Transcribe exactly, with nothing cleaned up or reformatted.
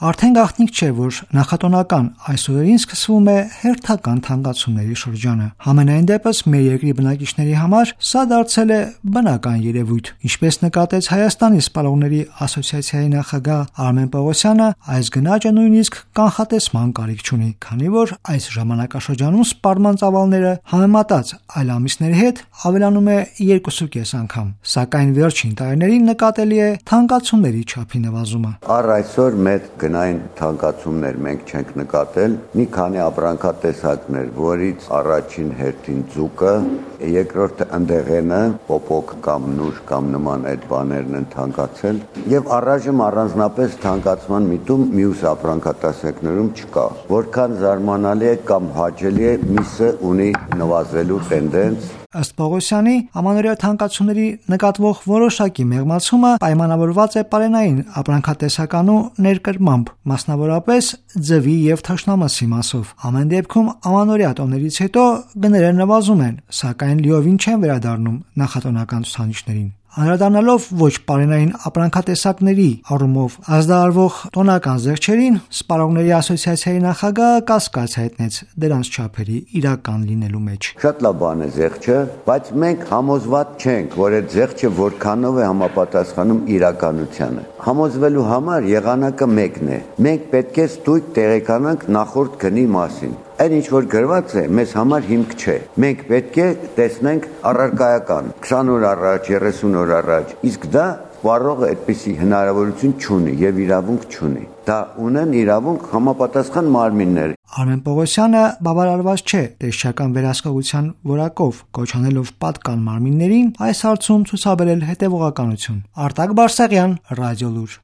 Արդեն գաղտնիք չէ, որ նախատոնական այս օրերին սկսվում է հերթական թանկացումների շրջանը։ Համենայն դեպս մեր երկրի բնակիչների համար սա դարձել է բնական երևույթ։ Ինչպես նկատեց Հայաստանի սպառողների ասոցիացիայի նախագահ Արմեն Պողոսյանը, այս գնաճը նույնիսկ կանխատեսման կարիք չունի, քանի որ այս ժամանակաշրջանում սպառման ծավալները համեմատած այլ ամիսների հետ ավելանում է երկուսուկես անգամ, սակայն վերջին տարիներին նկատելի է թանկացումների չափի նվազումը։ Առ այսօր մեծ գնային թանկացումներ մենք չենք նկատել, մի քանի ապրանքատեսակներ, որից առաջին հերթին ձուկը, երկրորդը ընդեղենը, պոպոկ կամ նուշ կամ նման այդ բաներն են թանկացել, եւ առայժմ առանձնապես թանկացման միտում մյուս ապրանքատեսակներում չկա։ Որքան զարմանալի է կամ հաճելի է, միսը ունի նվազելու տենդենց։ Ըստ Պողոսյանի, ամանորյա թանկացումների նկատվող որոշակի մեղմացումը պայմանավորված է պարենային ապրանքատեսականու ներկրմամբ, մասնավորապես ձվի եւ թաշնամասի մասով։ Ամեն դեպքում ամանորյա տոներից հետո գները նվազում են, սակայն լիովին չեն վերադառնում նախատոնական ցուցանիշներին։ Անդրադառնալով ոչ պարենային ապրանքատեսակների առումով ազդարարվող տոնական զեղչերին, Սպառողների ասոցիացիայի նախագահը կասկած հայտնեց դրանց չափերի իրական լինելու մեջ։ Շատ լավ բան է զեղչը, բայց մենք համոզված չենք, որ այդ զեղչը որքանով է համապատասխանում իրականությանը։ Համոզվելու համար եղանակը մեկն է։ Մենք պետք է ստույգ տեղեկանանք նախորդ գնի մասին։ Այն ինչ որ գրված է, մեզ համար հիմք չէ։ Մենք պետք է տեսնենք առարկայական քսան օր առաջ, երեսուն օր առաջ, իսկ դա սպառողը այդպիսի հնարավորություն չունի եւ իրավունք չունի։ Դա ունեն իրավունք համապատասխան մարմիններ։ Արմեն Պողոսյանը բավարարված չէ տեսչական վերահսկողության որակով, կոչանելով պատկան մարմիններին այս հարցում ցուցաբերել հետևողականություն։ Արտակ Բարսեղյան, Ռադիոլուր։